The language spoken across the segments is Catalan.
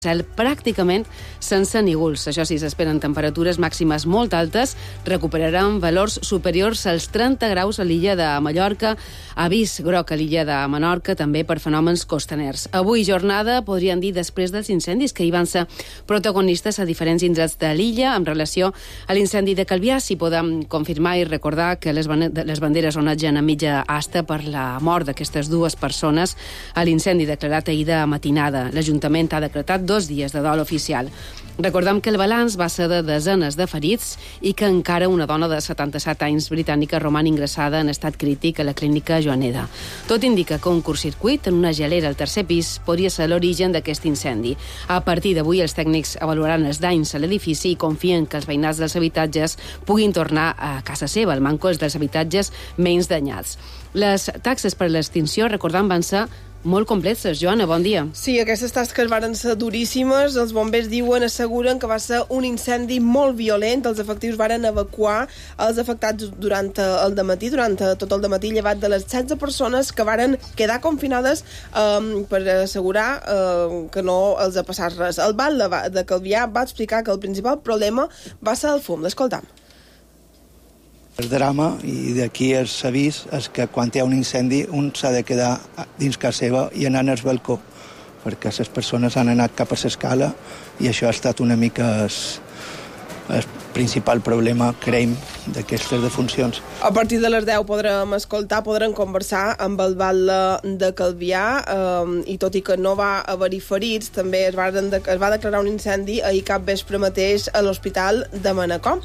cel pràcticament sense nígols. Això sí, s'esperen temperatures màximes molt altes, recuperaran valors superiors als 30 graus a l'illa de Mallorca, avís groc a l'illa de Menorca, també per fenòmens costaners. Avui jornada, podríem dir, després dels incendis que hi van ser protagonistes a diferents indrets de l'illa en relació a l'incendi de Calvià. Si podem confirmar i recordar que les banderes onatgen a mitja asta per la mort d'aquestes dues persones a l'incendi declarat ahir de matinada. L'Ajuntament ha decretat 2 dies de dol oficial. Recordem que el balanç va ser de desenes de ferits i que encara una dona de 77 anys britànica roman ingressada en estat crític a la clínica Joaneda. Tot indica que un curtcircuit en una gelera al tercer pis podria ser l'origen d'aquest incendi. A partir d'avui, els tècnics avaluaran els danys a l'edifici i confien que els veïnats dels habitatges puguin tornar a casa seva. El manco és dels habitatges menys danyats. Les taxes per a l'extinció, recordem, van ser molt complexes. Joana, bon dia. Sí, aquestes tasques varen ser duríssimes. Els bombers asseguren que va ser un incendi molt violent. Els efectius varen evacuar els afectats durant el dematí, durant tot el dematí, llevat de les 16 persones que varen quedar confinades per assegurar que no els ha passat res. El Val de Calvià va explicar que el principal problema va ser el fum. L'escoltam. El drama, i d'aquí el avís, és que quan hi ha un incendi un s'ha de quedar dins casa seva i anar al balcó, perquè les persones han anat cap a l'escala i això ha estat una mica el principal problema, creiem, d'aquestes defuncions. A partir de les 10 podrem conversar amb el Val de Calvià i tot i que no va haver-hi ferits, també es va declarar un incendi ahir cap vespre mateix a l'Hospital de Manacor.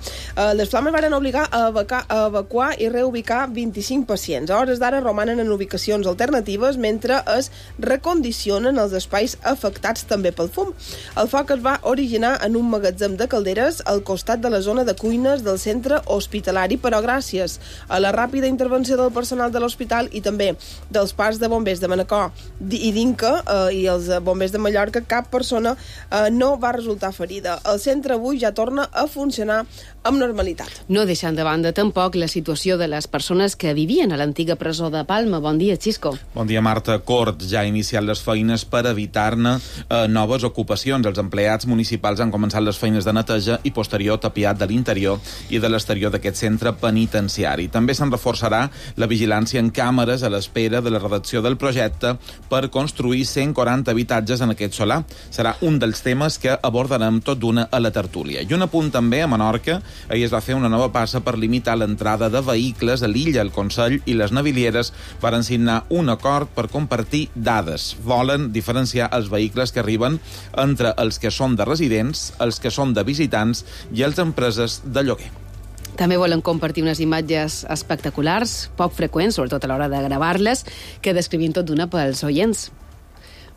Les flames van obligar a evacuar i reubicar 25 pacients. A hores d'ara romanen en ubicacions alternatives mentre es recondicionen els espais afectats també pel fum. El foc es va originar en un magatzem de calderes al costat de la zona de cuines del centre hospitalari, però gràcies a la ràpida intervenció del personal de l'hospital i també dels parcs de bombers de Manacor i d'Inca i els bombers de Mallorca, cap persona no va resultar ferida. El centre avui ja torna a funcionar amb normalitat. No deixant de banda tampoc la situació de les persones que vivien a l'antiga presó de Palma. Bon dia, Xisco. Bon dia, Marta. Cort ja ha iniciat les feines per evitar-ne noves ocupacions. Els empleats municipals han començat les feines de neteja i posterior tapiat de l'interior i de l'exterior d'aquest centre penitenciari. També se'n reforçarà la vigilància en càmeres a l'espera de la redacció del projecte per construir 140 habitatges en aquest solar. Serà un dels temes que abordarem tot d'una a la tertúlia. I un apunt també a Menorca. Ahir es va fer una nova passa per limitar l'entrada de vehicles a l'illa. El Consell i les navilieres varen signar un acord per compartir dades. Volen diferenciar els vehicles que arriben entre els que són de residents, els que són de visitants i els empreses de lloguer. També volen compartir unes imatges espectaculars, poc freqüents, sobretot a l'hora de gravar-les, que descrivim tot d'una pels oients.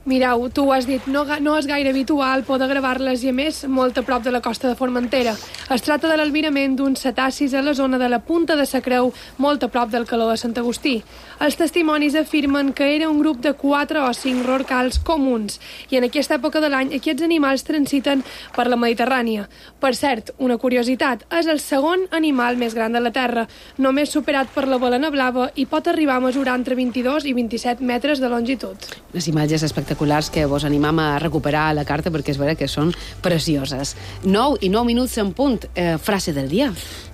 Mireu, tu ho has dit, no és gaire habitual poder gravar-les i, a més, molt a prop de la costa de Formentera. Es tracta de l'albirament d'uns cetacis a la zona de la Punta de sa Creu, molt a prop del Caló de Sant Agustí. Els testimonis afirmen que era un grup de 4 o 5 rorcals comuns i en aquesta època de l'any aquests animals transiten per la Mediterrània. Per cert, una curiositat, és el segon animal més gran de la Terra, només superat per la balena blava i pot arribar a mesurar entre 22 i 27 metres de longitud. Les imatges espectaculars que vos animam a recuperar a la carta perquè és vera que són precioses. 9 i 9 minuts en punt. Frase del dia.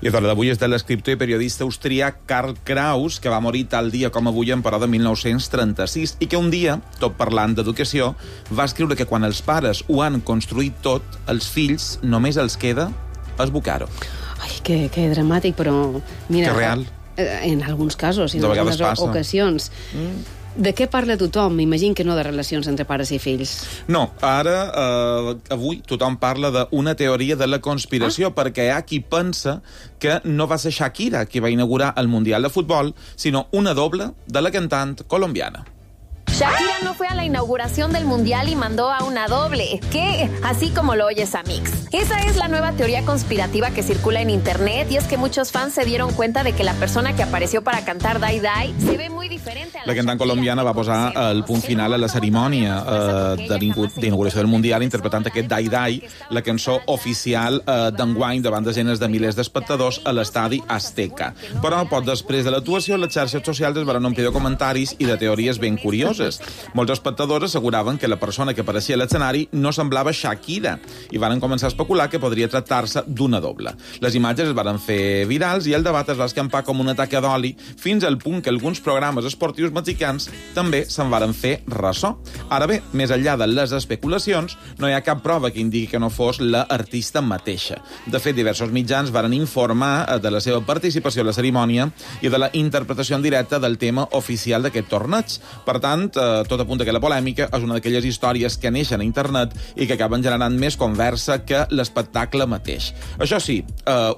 I l'hora d'avui és de l'escriptor i periodista austríac Karl Kraus, que va morir tal dia com avui en però de 1936 i que un dia, tot parlant d'educació, va escriure que quan els pares ho han construït tot, els fills només els queda esbocar-ho. Ai, que dramàtic, però... Mira, que real. En alguns casos, en algunes ocasions. De què parla tothom? M'imagino que no de relacions entre pares i fills. No, ara, avui, tothom parla d'una teoria de la conspiració, perquè hi ha qui pensa que no va ser Shakira qui va inaugurar el Mundial de Futbol, sinó una doble de la cantant colombiana. Shakira no fue a la inauguración del Mundial y mandó a una doble. ¿Qué? Así como lo oyes, Amix. Esa es la nueva teoría conspirativa que circula en internet y es que muchos fans se dieron cuenta de que la persona que apareció para cantar Die Die se ve muy diferente a la cantant colombiana va posar el punt final a la cerimònia d'inauguració del Mundial interpretant aquest Die Die, la cançó oficial d'enguany davant desenes de milers d'espectadors a l'estadi Azteca. Però poc després de l'actuació, les xarxes socials es van omplir de comentaris i de teories ben curioses. falses. Molts espectadors asseguraven que la persona que apareixia a l'escenari no semblava Shakira i van començar a especular que podria tractar-se d'una doble. Les imatges es van fer virals i el debat es va escampar com una taca d'oli fins al punt que alguns programes esportius mexicans també se'n varen fer ressò. Ara bé, més enllà de les especulacions, no hi ha cap prova que indiqui que no fos l'artista mateixa. De fet, diversos mitjans varen informar de la seva participació a la cerimònia i de la interpretació en directe del tema oficial d'aquest torneig. Per tant, tot apunta que la polèmica és una d'aquelles històries que neixen a internet i que acaben generant més conversa que l'espectacle mateix. Això sí,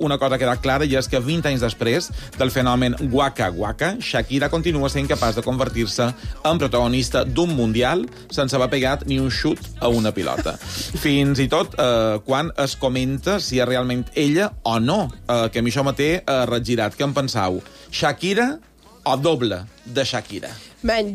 una cosa ha quedat clara i és que 20 anys després del fenomen Waka Waka, Shakira continua sent capaç de convertir-se en protagonista d'un mundial sense haver pegat ni un xut a una pilota. Fins i tot quan es comenta si és realment ella o no, que a mi això m'ha regirat. Què en penseu? Shakira o doble de Shakira?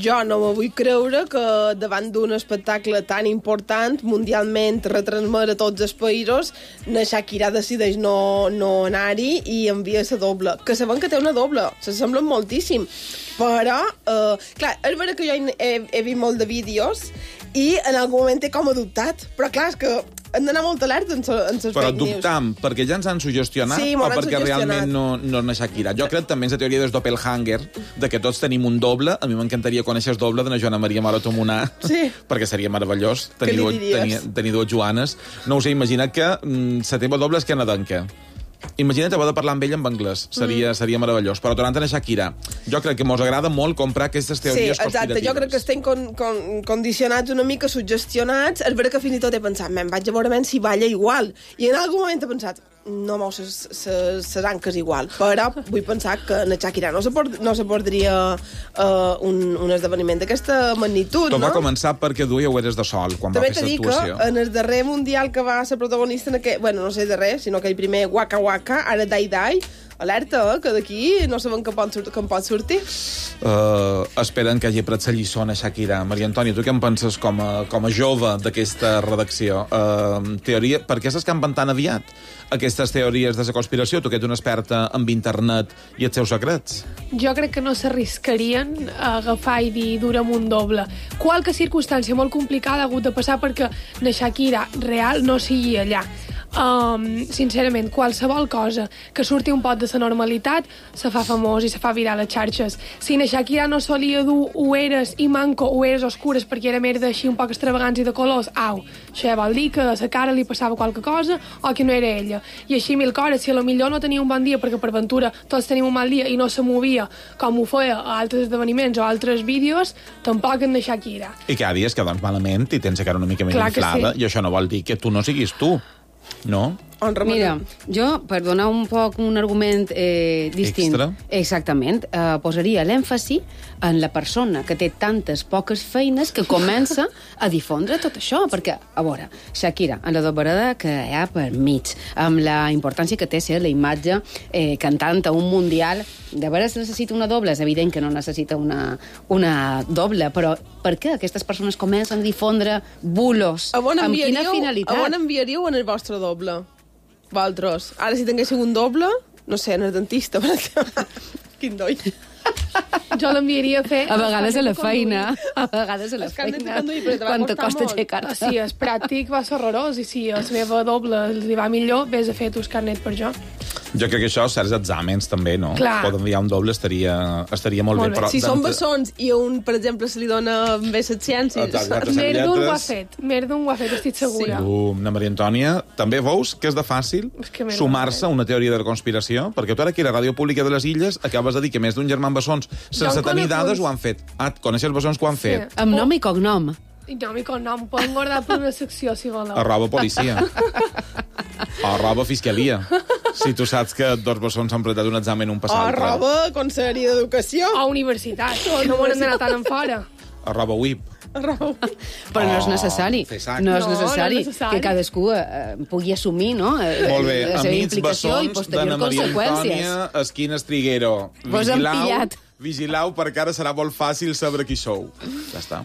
Jo no me vull creure que davant d'un espectacle tan important, mundialment retransmet a tots els països, la Shakira decideix no anar-hi i envia la doble. Que sabem que té una doble, s'assemblen moltíssim. Però, clar, és vera que jo he vist molt de vídeos i en algun moment he com adoptat. Però clar, és que hem d'anar molt alerta en les però fake news. dubtam, perquè ja ens han suggestionat sí, o perquè realment no és una Shakira. Jo crec també en la teoria del doppelhanger, de que tots tenim un doble. A mi m'encantaria conèixer el doble de la Joana Maria Morato-Monar, perquè seria meravellós tenir dues Joanes. No ho sé, imagina que la teva doble és canadenca. Imagina't haver de parlar amb ell en anglès. Seria meravellós. Però tornant a Shakira, jo crec que mos agrada molt comprar aquestes teories conspiratives. Exacte. Jo crec que estem condicionats una mica, suggestionats. És vera que fins i tot he pensat, vaig a veure si balla igual. I en algun moment he pensat, no mou ses anques igual. Però vull pensar que en Shakira no se perdria un esdeveniment d'aquesta magnitud, Tot va començar perquè duia ulleres de sol quan va fer aquesta actuació. També t'he dit que en el darrer mundial que va ser protagonista en aquest... Bueno, no sé darrer, sinó aquell primer Waka Waka, ara Dai Dai, alerta, que d'aquí no sabem que em pot sortir. Esperen que hagi pres la lliçó a Shakira. Maria Antònia, tu què en penses com a jove d'aquesta redacció? Per què s'escampen tan aviat aquestes teories de la conspiració? Tu que ets una experta en internet i els seus secrets. Jo crec que no s'arriscarien a agafar i dir dura'm un doble. Qualque circumstància molt complicada ha hagut de passar perquè la Shakira real no sigui allà. Sincerament, qualsevol cosa que surti un pot de la normalitat se fa famós i se fa viral a les xarxes. Si na Shakira no solia dur ulleres i manco ulleres oscures perquè era merda així un poc extravagants i de colors, això ja vol dir que a la cara li passava qualque cosa o que no era ella. I així mil coses, si a lo millor no tenia un bon dia perquè per ventura tots tenim un mal dia i no se movia com ho feia a altres esdeveniments o altres vídeos, tampoc en na Shakira. I cada dia es que doncs malament i tens la cara una mica més inflada, i això no vol dir que tu no siguis tu. No? Mira, jo, per donar un poc un argument distint... Extra? Exactament. Posaria l'èmfasi en la persona que té tantes poques feines que comença a difondre tot això, perquè, a veure, Shakira, en la doblada que hi ha per mig, amb la importància que té ser la imatge cantant a un mundial, de veres necessita una doble, és evident que no necessita una doble, però per què aquestes persones comencen a difondre bulos? Amb quina finalitat? A on enviaríeu en el vostre doble? Vosaltres. Ara, si tinguéssiu un doble, no sé, en el dentista, per exemple. Quin doi. Jo l'enviaria a fer... A vegades a la feina. A vegades a la feina. Quan te costa aixecar-te. Sí, és pràctic, va ser horrorós. I si a la meva doble li va millor, vés a fer tus carnet per jo. Jo crec que això, certs exàmens, també, no? Clar. Poden enviar un doble, estaria molt bé. Però si són bessons i a un, per exemple, se li dona bé les ciències... Merdun ho ha fet, estic segura. Na Maria Antònia, també veus que és de fàcil sumar-se a una teoria de la conspiració? Perquè tu ara aquí a la Ràdio Pública de les Illes acabes de dir que més d'un germà bessons, sense tenir dades, ho han fet. Coneixes bessons que ho han fet? Amb nom i cognom. Nom i cognom, poden guardar per una secció, si voleu. Arroba policia. Arroba fiscalia. Si tu saps que dos bessons s'han presentat un examen un passat. Arroba Conselleria d'Educació. O universitat. No m'ho han d'anar tan en fora. Arroba WIP. Però no és necessari. No és necessari que cadascú pugui assumir, no? Molt bé, la seva amics implicació i bessons posterior de na Maria conseqüències. Antònia Esquines Triguero. Vos han pillat. Vigilau, perquè ara serà molt fàcil saber qui sou. Ja està.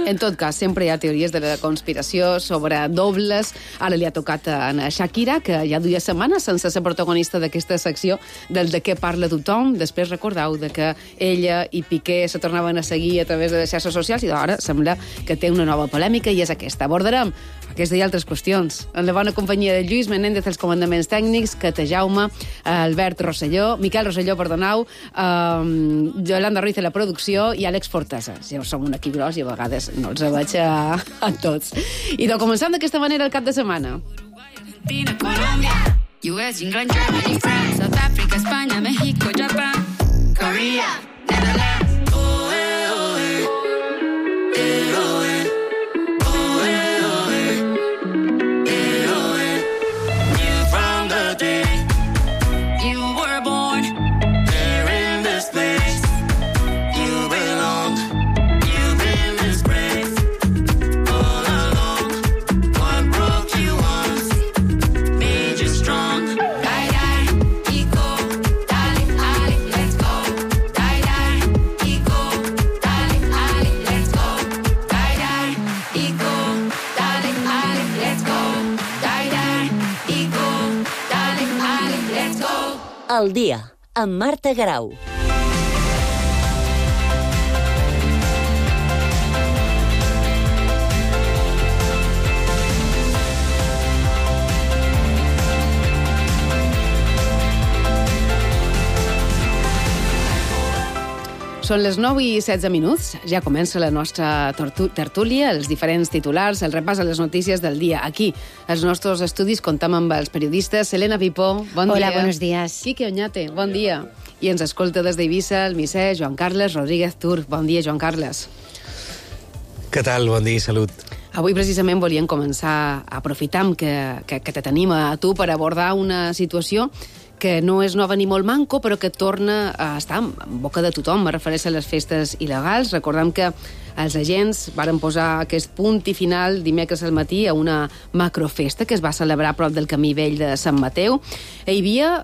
En tot cas, sempre hi ha teories de la conspiració sobre dobles. Ara li ha tocat a Shakira, que ja duia setmanes sense ser protagonista d'aquesta secció del de què parla tothom. Després recordeu de que ella i Piqué se tornaven a seguir a través de les xarxes socials i ara sembla que té una nova polèmica i és aquesta. Abordarem aquesta i altres qüestions en la bona companyia de Lluís Menéndez als comandaments tècnics, Cata Jaume, Albert Rosselló, Miquel Rosselló, perdoneu, Yolanda Ruiz a la producció i Àlex Fortesa. Ja som un equip gros i a vegades no els veig a tots. I doncs començam d'aquesta manera el cap de setmana. US, England, Germany, France, South Africa, España, México, Japan, Korea, Netherlands. Al dia, amb Marta Garau. Són les 9 i 16 minuts. Ja comença la nostra tertúlia, els diferents titulars, el repàs a les notícies del dia. Aquí, als nostres estudis, comptam amb els periodistes. Elena Pipó, bon dia. Hola, buenos días. Quique Oñate, bon dia. I ens escolta des d'Eivissa el misser Joan Carles Rodríguez Tur. Bon dia, Joan Carles. Què tal? Bon dia i salut. Avui precisament volíem començar aprofitant que te tenim a tu per abordar una situació que no és nova ni molt manco, però que torna a estar en boca de tothom. Me refereix a les festes il·legals. Recordem que els agents varen posar aquest punt i final dimecres al matí a una macrofesta que es va celebrar a prop del camí vell de Sant Mateu. Hi havia...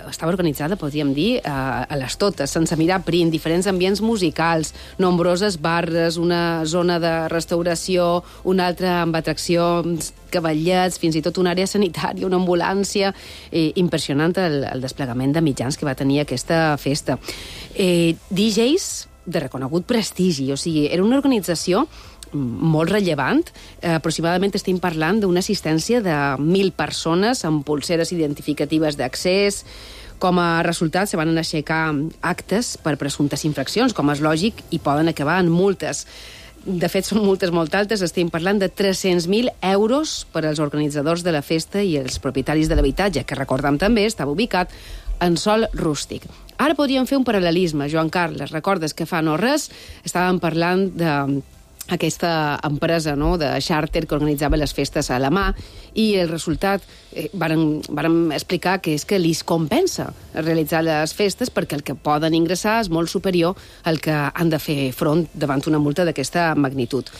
estava organitzada, podríem dir, a les totes, sense mirar prim, diferents ambients musicals, nombroses barres, una zona de restauració, una altra amb atraccions, cavallets, fins i tot una àrea sanitària, una ambulància. Impressionant el desplegament de mitjans que va tenir aquesta festa. DJs de reconegut prestigi, o sigui, era una organització molt rellevant. Aproximadament estem parlant d'una assistència de 1.000 persones amb pulseres identificatives d'accés. Com a resultat, se van aixecar actes per presumptes infraccions, com és lògic, i poden acabar en multes. De fet, són multes molt altes. Estem parlant de 300.000 euros per als organitzadors de la festa i els propietaris de l'habitatge, que recordem també estava ubicat en sòl rústic. Ara podríem fer un paral·lelisme, Joan Carles. Recordes que fa no res estàvem parlant d'aquesta empresa, no?, de xàrter que organitzava les festes a la mà, i el resultat vàrem explicar que és que li compensa realitzar les festes perquè el que poden ingressar és molt superior al que han de fer front davant una multa d'aquesta magnitud.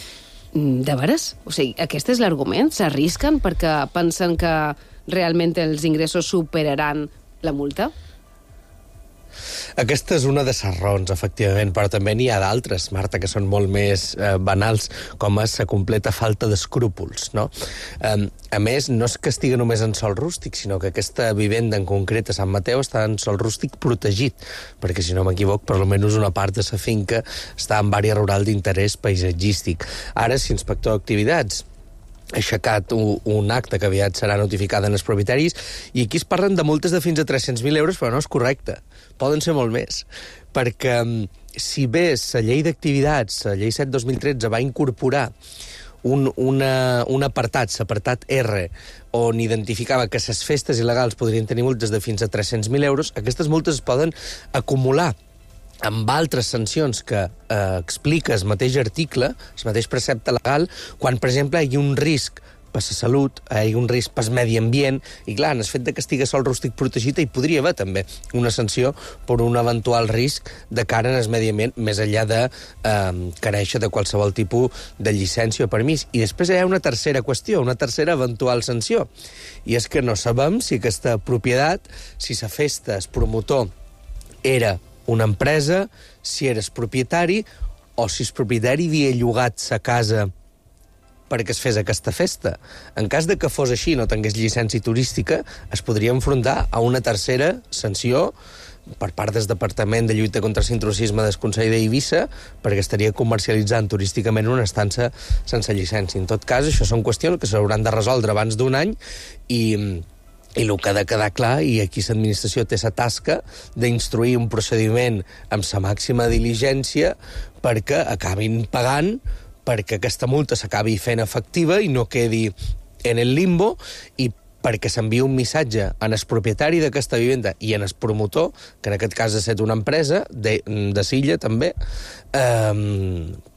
De veres? O sigui, aquest és l'argument? S'arrisquen perquè pensen que realment els ingressos superaran la multa? Aquesta és una de les raons, efectivament, però també n'hi ha d'altres, Marta, que són molt més banals, com és la completa falta d'escrúpols, no? A més, no és que estigui només en sòl rústic, sinó que aquesta vivenda en concret a Sant Mateu està en sòl rústic protegit, perquè, si no m'equivoc, per almenys una part de la finca està en àrea rural d'interès paisatgístic. Ara, si inspector d'activitats ha aixecat un acte que aviat serà notificada en els propietaris, i aquí es parlen de multes de fins a 300.000 euros, però no és correcte. Poden ser molt més, perquè si bé la llei d'activitats, la llei 7-2013, va incorporar un apartat, l'apartat R, on identificava que les festes il·legals podrien tenir multes de fins a 300.000 euros, aquestes multes es poden acumular amb altres sancions que explica el mateix article, el mateix precepte legal, quan, per exemple, hi ha un risc per la salut, hi ha un risc per al medi ambient, i clar, en el fet de que estigui sòl rústic protegit hi podria haver també una sanció per un eventual risc de cara en el medi ambient, més enllà de carèixer de qualsevol tipus de llicència o permís. I després hi ha una tercera qüestió, una tercera eventual sanció, i és que no sabem si aquesta propietat, si la festa, el promotor, era una empresa, si eres propietari, o si el propietari havia llogat sa casa perquè es fes aquesta festa. En cas de que fos així i no tingués llicència turística, es podria enfrontar a una tercera sanció per part del Departament de Lluita contra l'Intrusisme del Consell d'Eivissa, perquè estaria comercialitzant turísticament una estança sense llicència. En tot cas, això són qüestions que s'hauran de resoldre abans d'un any i el que ha de quedar clar, i aquí l'administració té la tasca d'instruir un procediment amb la màxima diligència perquè acabin pagant, perquè aquesta multa s'acabi fent efectiva i no quedi en el limbo, i perquè s'envia un missatge en el propietari d'aquesta vivenda i en el promotor, que en aquest cas ha estat una empresa de Silla també,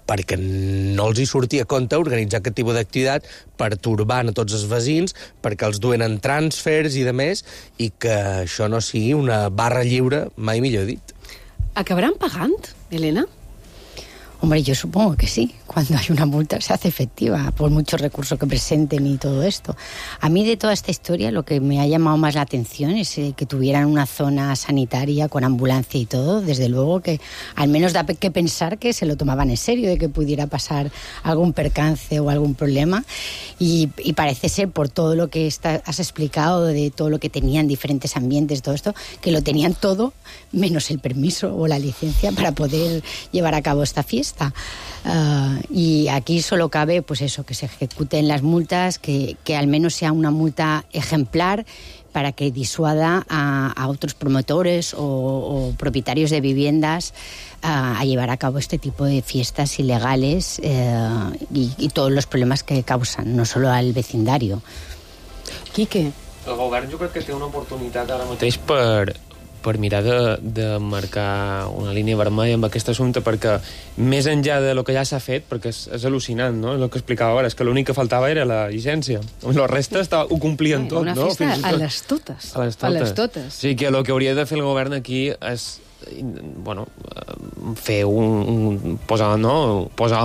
perquè no els hi sortia a compte organitzar aquest tipus d'activitat pertorbant a tots els veïns, perquè els duen en transfers i de més, i que això no sigui una barra lliure, mai millor dit. ¿Acabarán pagant, Elena? Hombre, yo supongo que sí. Cuando hay una multa se hace efectiva, por muchos recursos que presenten y todo esto. A mí de toda esta historia lo que me ha llamado más la atención es que tuvieran una zona sanitaria con ambulancia y todo. Desde luego que al menos da que pensar que se lo tomaban en serio, de que pudiera pasar algún percance o algún problema. Y parece ser, por todo lo que has explicado, de todo lo que tenían, diferentes ambientes, todo esto, que lo tenían todo, menos el permiso o la licencia para poder llevar a cabo esta fiesta. Y aquí solo cabe, pues eso, que se ejecuten las multas, que al menos sea una multa ejemplar para que disuada a otros promotores o propietarios de viviendas a llevar a cabo este tipo de fiestas ilegales y todos los problemas que causan, no solo al vecindario. Quique? El govern jo crec que té una oportunitat ara mateix per mirar de marcar una línia vermella amb aquest assumpte, perquè més enllà de lo que ja s'ha fet, perquè és al·lucinant, no? El que explicava ara, és que l'únic que faltava era la llicència. La resta ho complien tot, no? Una festa a les totes. A les totes. O sigui que el que hauria de fer el govern aquí és fer posar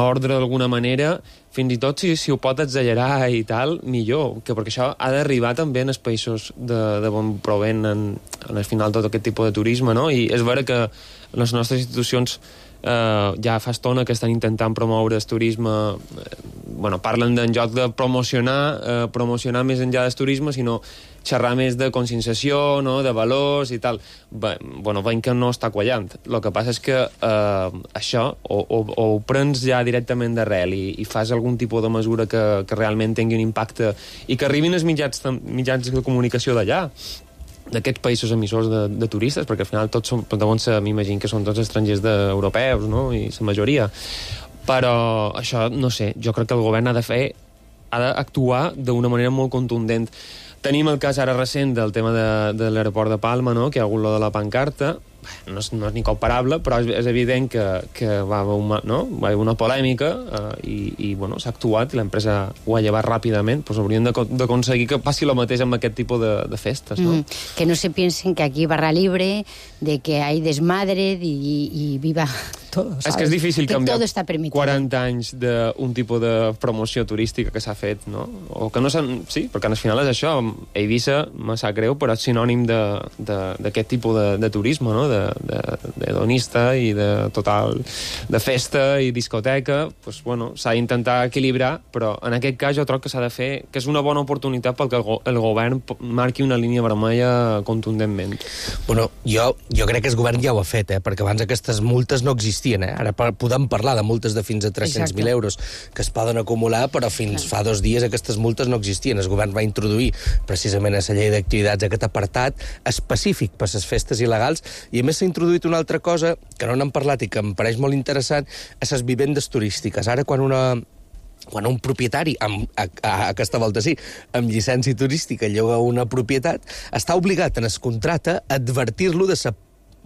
ordre d'alguna manera, fins i tot si ho pot exagerar i tal, millor, perquè això ha d'arribar també en els països d'on proven en el final tot aquest tipus de turisme, no? I és vera que les nostres institucions ja fa estona que estan intentant promoure el turisme, parlen en lloc de promocionar més enllà del turisme, sinó xerrar més de conscienciació, no? De valors i tal. Veiem que no està quallant. El que passa és que això o ho prens ja directament d'arrel i fas algun tipus de mesura que realment tingui un impacte i que arribin els mitjans de comunicació d'allà, d'aquests països emissors de turistes, perquè al final tots són, m'imagino que són tots estrangers europeus, no? I la majoria. Però això, no sé, jo crec que el govern ha d'actuar d'una manera molt contundent. Tenim el cas ara recent del tema de l'aeroport de Palma, no? Que hi ha hagut lo de la pancarta. No és ni comparable, però és evident que va haver una polèmica i s'ha actuat i l'empresa ho ha llevat ràpidament. Pues hauríem d'aconseguir que passi el mateix amb aquest tipus de festes, no? Que no se piensen que aquí barra libre, de que hay desmadre y viva todo, ¿sabes? És que és difícil canviar todo está permitido. 40 anys d'un tipus de promoció turística que s'ha fet, no? O que no sí, perquè al final és això. Eivissa, me sap greu, però és sinònim d'aquest tipus de turisme, no? D'hedonista i de total de festa i discoteca. S'ha d'intentar equilibrar, però en aquest cas jo trobo que s'ha de fer, que és una bona oportunitat perquè el govern marqui una línia vermella contundentment. Jo crec que el govern ja ho ha fet, perquè abans aquestes multes no existien. Ara podem parlar de multes de fins a 300.000 euros que es poden acumular, però fins fa 2 dies aquestes multes no existien. El govern va introduir precisament a la llei d'activitats aquest apartat específic per a les festes il·legals, i a més s'ha introduït una altra cosa que no n'hem parlat i que em pareix molt interessant, a les vivendes turístiques. Ara, quan un propietari, aquesta volta sí, amb llicència turística lloga una propietat, està obligat en el contracte a advertir-lo de la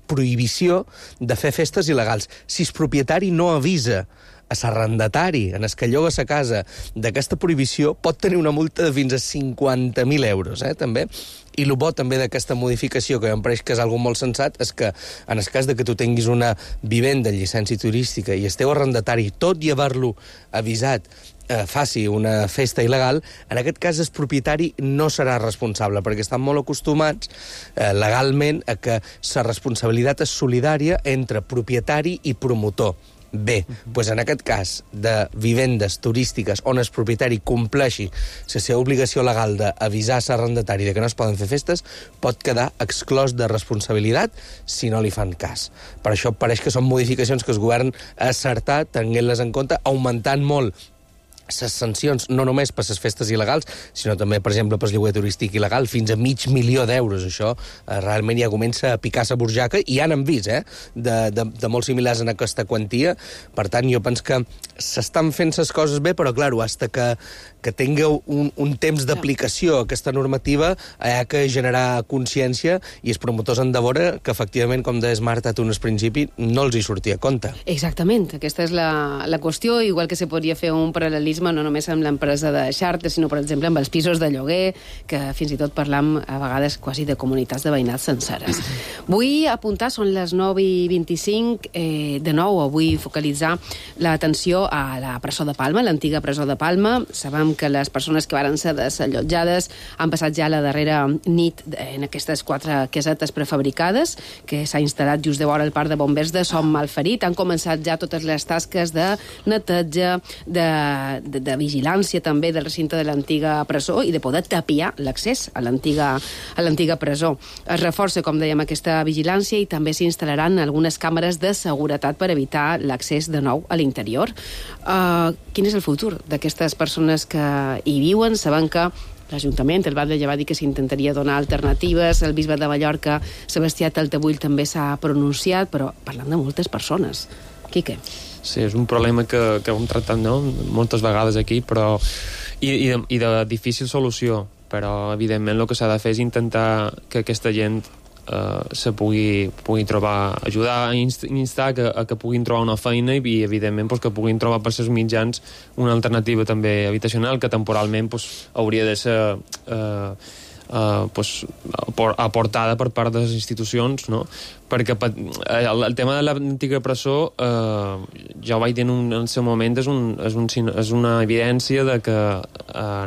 prohibició de fer festes il·legals. Si el propietari no avisa a l'arrendatari en el que lloga la casa d'aquesta prohibició, pot tenir una multa de fins a 50.000 euros, també. I el bo també d'aquesta modificació, que em pareix que és algo molt sensat, és que en el cas de que tu tinguis una vivenda en llicència turística i el teu arrendatari, tot i haver-lo avisat faci una festa il·legal, en aquest cas el propietari no serà responsable, perquè estan molt acostumats legalment a que la responsabilitat és solidària entre propietari i promotor. Bé, doncs en aquest cas de vivendes turístiques on el propietari compleixi la seva obligació legal d'avisar l'arrendatari que no es poden fer festes, pot quedar exclòs de responsabilitat si no li fan cas. Per això pareix que són modificacions que el govern ha acertat, tenint-les en compte, augmentant molt les sancions, no només per les festes il·legals, sinó també, per exemple, per el lloguer turístic il·legal, fins a $500.000 d'euros. Això realment ja comença a picar la burjaca, i ja n'hem vist, de molt similars en aquesta quantia. Per tant, jo penso que s'estan fent les coses bé, però, clar, hasta que tingueu un temps d'aplicació aquesta normativa, hi ha que generar consciència, i els promotors han de veure que, efectivament, com deies, Marta, tu en el principi, no els hi sortia a compte. Exactament, aquesta és la qüestió, igual que se podria fer un paral·lelisme no només amb l'empresa de xàrter, sinó, per exemple, amb els pisos de lloguer, que fins i tot parlam a vegades quasi de comunitats de veïnats senceres. Vull apuntar, són les 9:25, de nou, vull focalitzar l'atenció a la presó de Palma, l'antiga presó de Palma. Sabem que les persones que varen ser desallotjades han passat ja la darrera nit en aquestes 4 casetes prefabricades, que s'ha instal·lat just de vora el parc de bombers de Som Malferit. Han començat ja totes les tasques de neteja, de vigilància també del recinte de l'antiga presó i de poder tapiar l'accés a l'antiga presó. Es reforça, com dèiem, aquesta vigilància i també s'instal·laran algunes càmeres de seguretat per evitar l'accés de nou a l'interior. Quin és el futur d'aquestes persones que hi viuen? Sabem que l'Ajuntament, el Batlle ja va dir que s'intentaria donar alternatives, el bisbe de Mallorca, Sebastià Taltabull, també s'ha pronunciat, però parlant de moltes persones. Quique? Sí, és un problema que hem tractat moltes vegades aquí, però i de difícil solució, però evidentment el que s'ha de fer és intentar que aquesta gent se pugui trobar, ajudar a instar que puguin trobar una feina i evidentment que puguin trobar per els mitjans una alternativa també habitacional que temporalment hauria de ser aportada per part de les institucions, no? Perquè el tema de l'antiga presó, ja ho vaig dir en el seu moment, és una evidència de que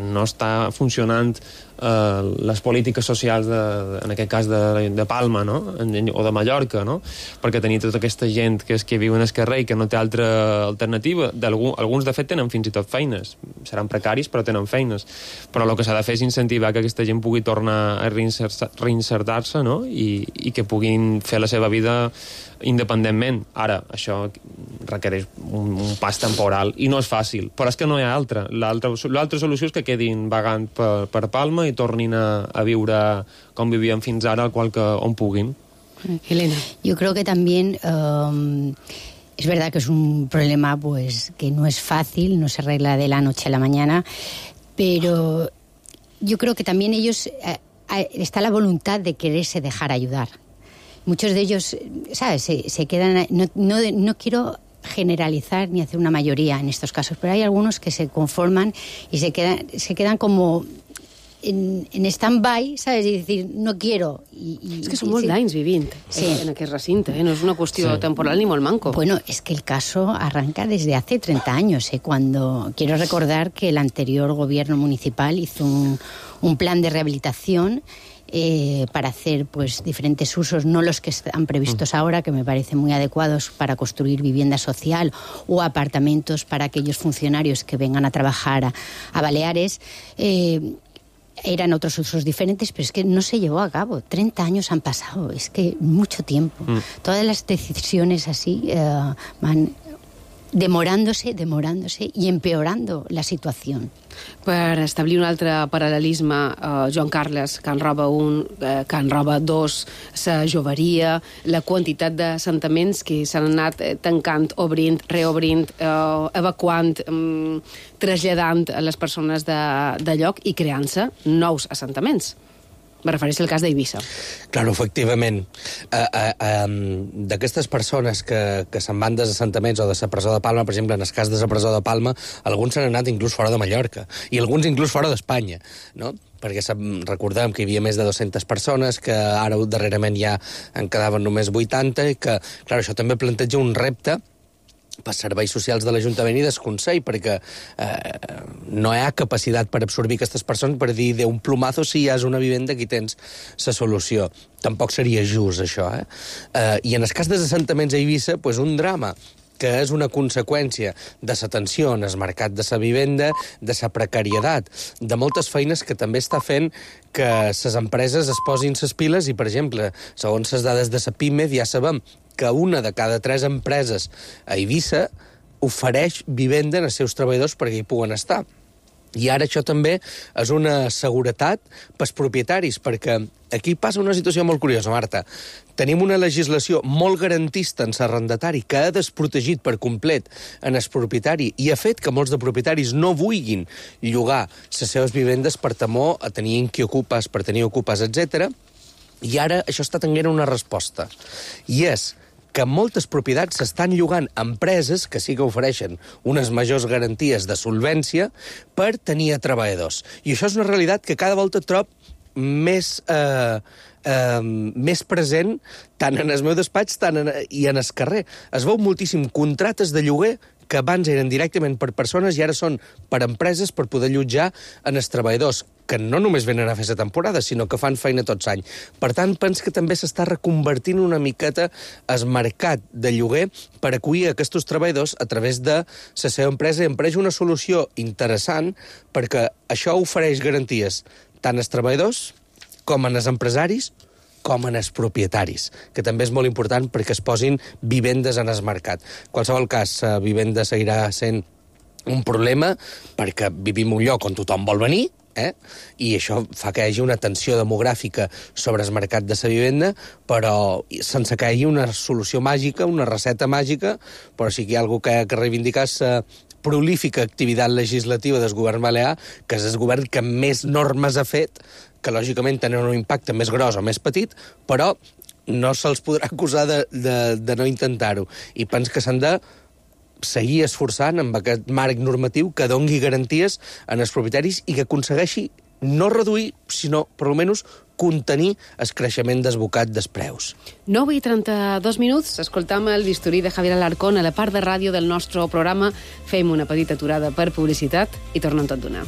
no està funcionant les polítiques socials, en aquest cas de Palma, no? O de Mallorca, no? Perquè tenir tota aquesta gent que viu en el carrer i que no té altra alternativa. Alguns, de fet, tenen fins i tot feines. Seran precaris, però tenen feines. Però el que s'ha de fer és incentivar que aquesta gent pugui tornar a reinsertar-se, no? I que puguin fer la seva vida independentment. Ara, això requereix un pas temporal i no és fàcil, però és que no hi ha altra. L'altra solució és que quedin vagant per Palma i tornin a viure com vivían fins ara, on puguin. Elena. Yo creo que también es verdad que es un problema que no es fácil, no se arregla de la noche a la mañana, pero yo creo que también ellos está la voluntad de quererse dejar ayudar. Muchos de ellos, ¿sabes? Se quedan... No quiero generalizar ni hacer una mayoría en estos casos, pero hay algunos que se conforman y se quedan como en stand-by, ¿sabes? Y decir, no quiero. És que són molts d'anys vivint en aquest recinte, no és una qüestió temporal ni molt manco. Bueno, es que el caso arranca desde hace 30 años, cuando quiero recordar que el anterior gobierno municipal hizo un plan de rehabilitación para hacer diferentes usos, no los que están previstos ahora, que me parecen muy adecuados para construir vivienda social o apartamentos para aquellos funcionarios que vengan a trabajar a Baleares. Eran otros usos diferentes, pero es que no se llevó a cabo. 30 años han pasado, es que mucho tiempo. Todas las decisiones así van demorándose y empeorando la situación. Per establir un altre paral·lelisme, Joan Carles, Can Roba 1, Can Roba 2, la joveria, la quantitat d'assentaments que s'han anat tancant, obrint, reobrint, evacuant, traslladant a les persones de lloc i creant-se nous assentaments. Me refereixo al cas d'Eivissa. Claro, efectivament. D'aquestes persones que se'n van dels assentaments o de la presó de Palma, per exemple, en el cas de la presó de Palma, alguns s'han anat inclús fora de Mallorca, i alguns inclús fora d'Espanya, no? Perquè recordem que hi havia més de 200 persones, que ara darrerament ja en quedaven només 80, i que, clar, això també planteja un repte per serveis socials de l'Ajuntament i desconsell, perquè no hi ha capacitat per absorbir aquestes persones per dir de un plumazo si hi has una vivenda aquí tens la solució. Tampoc seria just, això, I en el cas dels assentaments a Eivissa, pues, un drama que és una conseqüència de la tensió en el mercat de la vivenda, de la precarietat, de moltes feines que també està fent que les empreses es posin les piles i, per exemple, segons les dades de la PIMED, ja sabem que una de cada 3 empreses a Eivissa ofereix vivenda als seus treballadors perquè hi puguen estar. I ara això també és una seguretat pels propietaris, perquè aquí passa una situació molt curiosa, Marta. Tenim una legislació molt garantista en l'arrendatari que ha desprotegit per complet en el propietari i ha fet que molts de propietaris no vulguin llogar les seves vivendes per temor a tenir inquiocupes, per tenir ocupes, etc. I ara això està tenint una resposta. I és que moltes propietats s'estan llogant a empreses que sí que ofereixen unes majors garanties de solvència per tenir treballadors. I això és una realitat que cada volta trob més present tant en el meu despatx i en el carrer. Es veu moltíssim contractes de lloguer que abans eren directament per persones i ara són per empreses per poder allotjar en els treballadors, que no només venen a fer la temporada, sinó que fan feina tots anys. Per tant, penso que també s'està reconvertint una miqueta el mercat de lloguer per acollir aquests treballadors a través de la seva empresa i em pareix una solució interessant perquè això ofereix garanties tant als treballadors com als empresaris com en els propietaris, que també és molt important perquè es posin vivendes en el mercat. En qualsevol cas, la vivenda seguirà sent un problema perquè vivim un lloc on tothom vol venir, i això fa que hi hagi una tensió demogràfica sobre el mercat de la vivenda, però sense que hi hagi una solució màgica, una recepta màgica, però sí que hi ha algú que ha de reivindicar la prolífica activitat legislativa del govern balear, que és el govern que més normes ha fet, que lògicament tenen un impacte més gros o més petit, però no se'ls podrà acusar de no intentar-ho. I penso que s'han de seguir esforçant amb aquest marc normatiu que dongui garanties en els propietaris i que aconsegueixi no reduir, sinó, per almenys, contenir el creixement desbocat dels preus. 9:32, escoltam el bisturí de Javier Alarcón a la part de ràdio del nostre programa. Fem una petita aturada per publicitat i tornem tot d'una.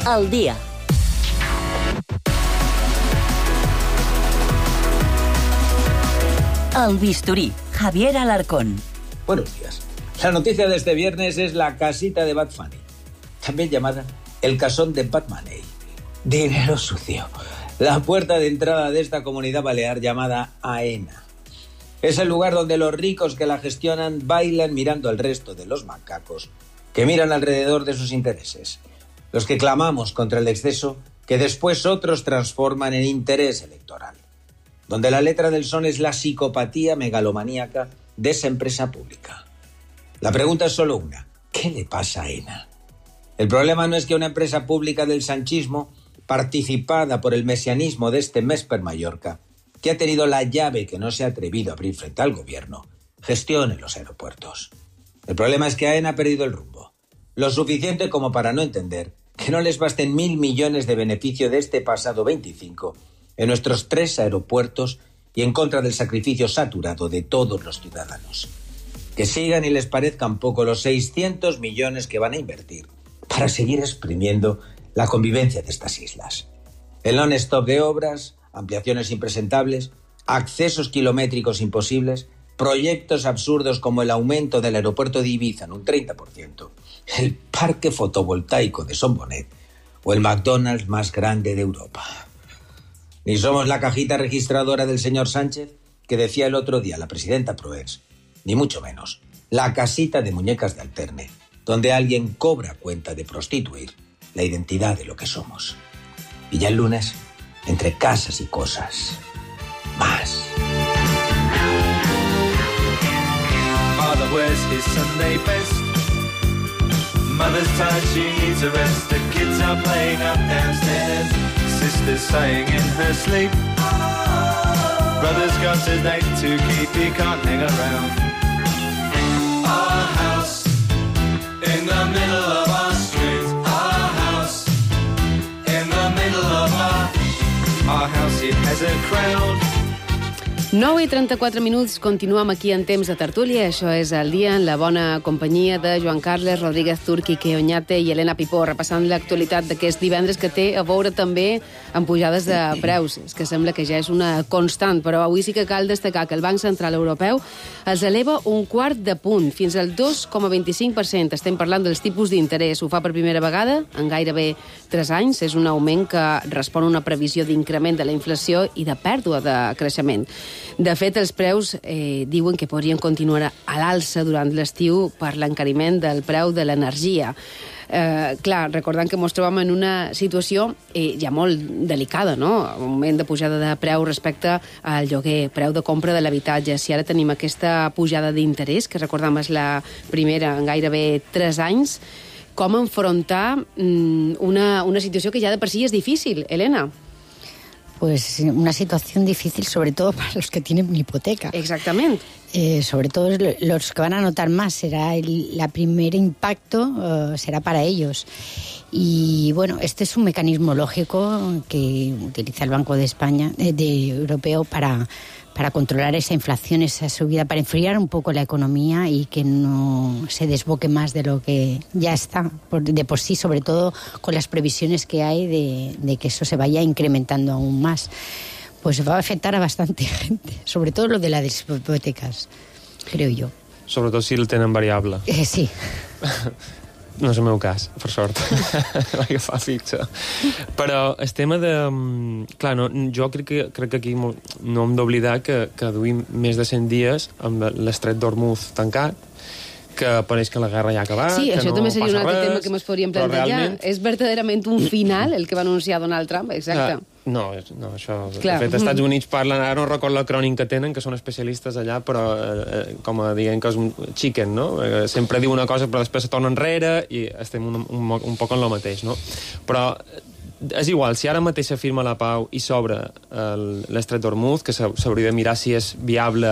Al día. El bisturí, Javier Alarcón. Buenos días. La noticia de este viernes es la casita de Bad Funny, también llamada el casón de Bad Money. Dinero sucio. La puerta de entrada de esta comunidad balear llamada AENA. Es el lugar donde los ricos que la gestionan bailan mirando al resto de los macacos que miran alrededor de sus intereses. Los que clamamos contra el exceso que después otros transforman en interés electoral. Donde la letra del son es la psicopatía megalomaníaca de esa empresa pública. La pregunta es solo una. ¿Qué le pasa a AENA? El problema no es que una empresa pública del sanchismo, participada por el mesianismo de este Mesper Mallorca, que ha tenido la llave que no se ha atrevido a abrir frente al gobierno, gestione los aeropuertos. El problema es que AENA ha perdido el rumbo. Lo suficiente como para no entender que no les basten 1.000 millones de beneficio de este pasado 25 en nuestros 3 aeropuertos y en contra del sacrificio saturado de todos los ciudadanos. Que sigan y les parezcan poco los 600 millones que van a invertir para seguir exprimiendo la convivencia de estas islas. El non-stop de obras, ampliaciones impresentables, accesos kilométricos imposibles, proyectos absurdos como el aumento del aeropuerto de Ibiza en un 30%, el parque fotovoltaico de Son Bonet o el McDonald's más grande de Europa. Ni somos la cajita registradora del señor Sánchez, que decía el otro día la presidenta Proens, ni mucho menos la casita de muñecas de Alterne, donde alguien cobra cuenta de prostituir la identidad de lo que somos. Y ya el lunes, entre casas y cosas, más. Father wears his Sunday best. Mother's tired, she needs a rest. The kids are playing up downstairs. Sister's sighing in her sleep. Brother's got a date to keep, he can't hang around. Our house in the middle of our street. it has a crowd. 9:34, continuem aquí en temps de tertúlia. Això és El dia, en la bona companyia de Joan Carles Rodríguez Turqui, Quique Oñate i Helena Pipó, repassant l'actualitat d'aquest divendres, que té a veure també amb pujades de preus. És que sembla que ja és una constant, però avui sí que cal destacar que el Banc Central Europeu els eleva un quart de punt, fins al 2,25%. Estem parlant dels tipus d'interès. Ho fa per primera vegada en gairebé 3 anys. És un augment que respon a una previsió d'increment de la inflació i de pèrdua de creixement. De fet, els preus diuen que podrien continuar a l'alça durant l'estiu per l'encariment del preu de l'energia. Clar, recordant que ens trobem en una situació ja molt delicada, no? Un moment de pujada de preu respecte al lloguer, preu de compra de l'habitatge. Si ara tenim aquesta pujada d'interès, que recordem és la primera en gairebé 3 anys, com enfrontar una situació que ja de per si és difícil, Helena? Pues una situación difícil, sobre todo para los que tienen hipoteca. Exactamente. Sobre todo los que van a notar más, será el primer impacto, será para ellos. Y bueno, este es un mecanismo lógico que utiliza el Banco de España, europeo, para controlar esa inflación, esa subida, para enfriar un poco la economía y que no se desboque más de lo que ya está, de por sí, sobre todo con las previsiones que hay de que eso se vaya incrementando aún más. Pues va a afectar a bastante gente, sobre todo lo de las hipotecas, creo yo. Sobretot si el tenen variable. Sí. No és el meu cas, per sort. Vaig agafar fixa. Però el tema de... Clar, no, jo crec que aquí no hem d'oblidar que duim més de 100 dies amb l'estret d'Hormuz tancat, que pareix que la guerra ja ha acabat, sí, que això no també seria un altre res, tema que ens podríem plantejar. Realment... És verdaderament un final el que va anunciar Donald Trump, exacte. No, això... Clar. De fet, els Estats Units parlen, ara no recordo l'acrònim que tenen, que són especialistes allà, però com a dient que és un chicken, no? Sempre diu una cosa però després se torna enrere i estem un poc en lo mateix, no? Però és igual, si ara mateix s'afirma la pau i s'obre l'estret d'Hormuz, que s'hauria de mirar si és viable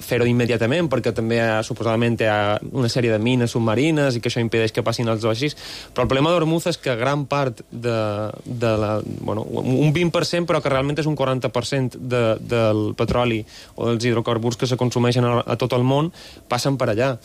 fer-ho immediatament, perquè també suposadament hi ha una sèrie de mines submarines i que això impedeix que passin els vaixells. Però el problema d'Hormuz és que gran part un 20%, però que realment és un 40% del petroli o dels hidrocarburs que se consumeixen a tot el món, passen per allà.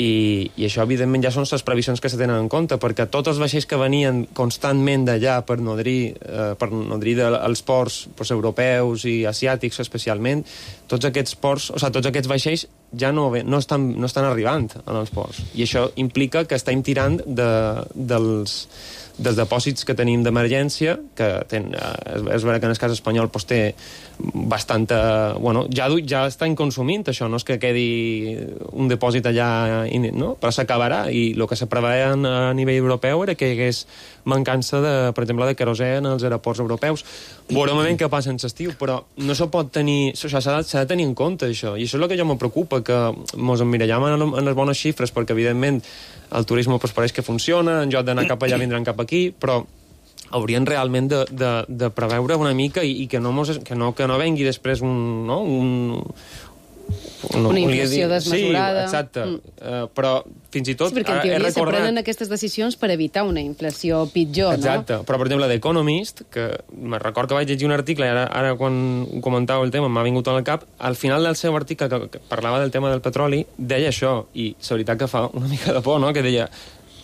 I això, evidentment, ja són les previsions que se tenen en compte, perquè tots els vaixells que venien constantment d'allà per nodrir els ports europeus i asiàtics especialment, tots aquests ports, o sigui, tots aquests vaixells ja no estan arribant als ports. I això implica que estem tirant dels depòsits que tenim d'emergència, que és vera que en el cas espanyol té bastanta... Bueno, ja estan consumint això, no és que quedi un depòsit allà, no? Però s'acabarà, i el que se preveia a nivell europeu era que hi hagués mancança, per exemple, de querosè en els aeroports europeus. Veurem ben què passa en l'estiu, però no s'ho pot tenir... S'ha de tenir en compte, això. I això és el que jo me preocupa, que ens emmirallem en les bones xifres, perquè, evidentment, el turisme pareix que funciona, en lloc d'anar cap allà vindran cap aquí, però haurien realment de preveure una mica i que no vengui després una inflació desmesurada. Sí, exacte. Però fins i tot... Sí, perquè en teoria se prenen aquestes decisions per evitar una inflació pitjor, no? Exacte. Però, per exemple, d'Economist, que me record que vaig llegir un article i ara quan ho comentava el tema m'ha vingut al cap, al final del seu article que parlava del tema del petroli, deia això, i la veritat que fa una mica de por, no?, que deia...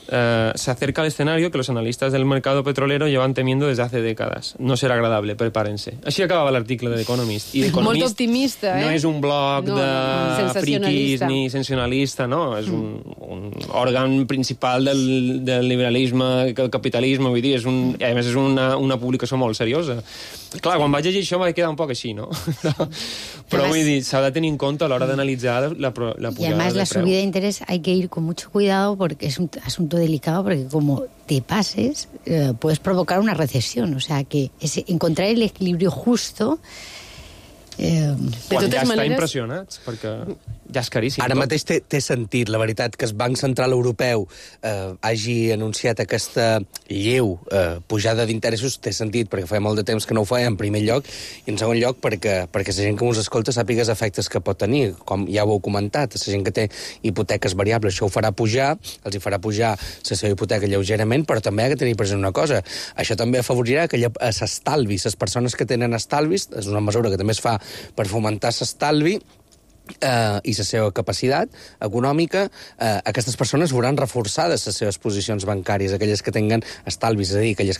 se acerca el escenario que los analistas del mercado petrolero llevan temiendo desde hace décadas. No será agradable, prepárense. Així acabava l'article de l'Economist. I molt optimista, no és un blog de friquis ni sensacionalista, no? És un òrgan principal del liberalisme, del capitalisme, vull dir, a més és una publicació molt seriosa. Clar, quan vaig llegir això vaig quedar un poc així, no? Però vull dir, s'ha de tenir en compte a l'hora d'analitzar la pujada de preu. Y además la subida de interés hay que ir con mucho cuidado porque es un asunto delicado, porque como te pases puedes provocar una recesión, o sea que encontrar el equilibrio justo de totes maneres... Estar impressionats, perquè ja és caríssim. Ara mateix té sentit, la veritat, que el Banc Central Europeu hagi anunciat aquesta lleu pujada d'interessos, té sentit, perquè fa molt de temps que no ho feia, en primer lloc, i en segon lloc perquè la gent que us escolta sàpiga els efectes que pot tenir, com ja ho heu comentat, la gent que té hipoteques variables, això ho farà pujar, els hi farà pujar la seva hipoteca lleugerament, però també ha de tenir present una cosa, això també afavorirà que s'estalvi, les persones que tenen estalvis, és una mesura que també es fa per fomentar l'estalvi, i la seva capacitat econòmica, aquestes persones veuran reforçades les seves posicions bancàries, aquelles que tinguen estalvis, és a dir, aquelles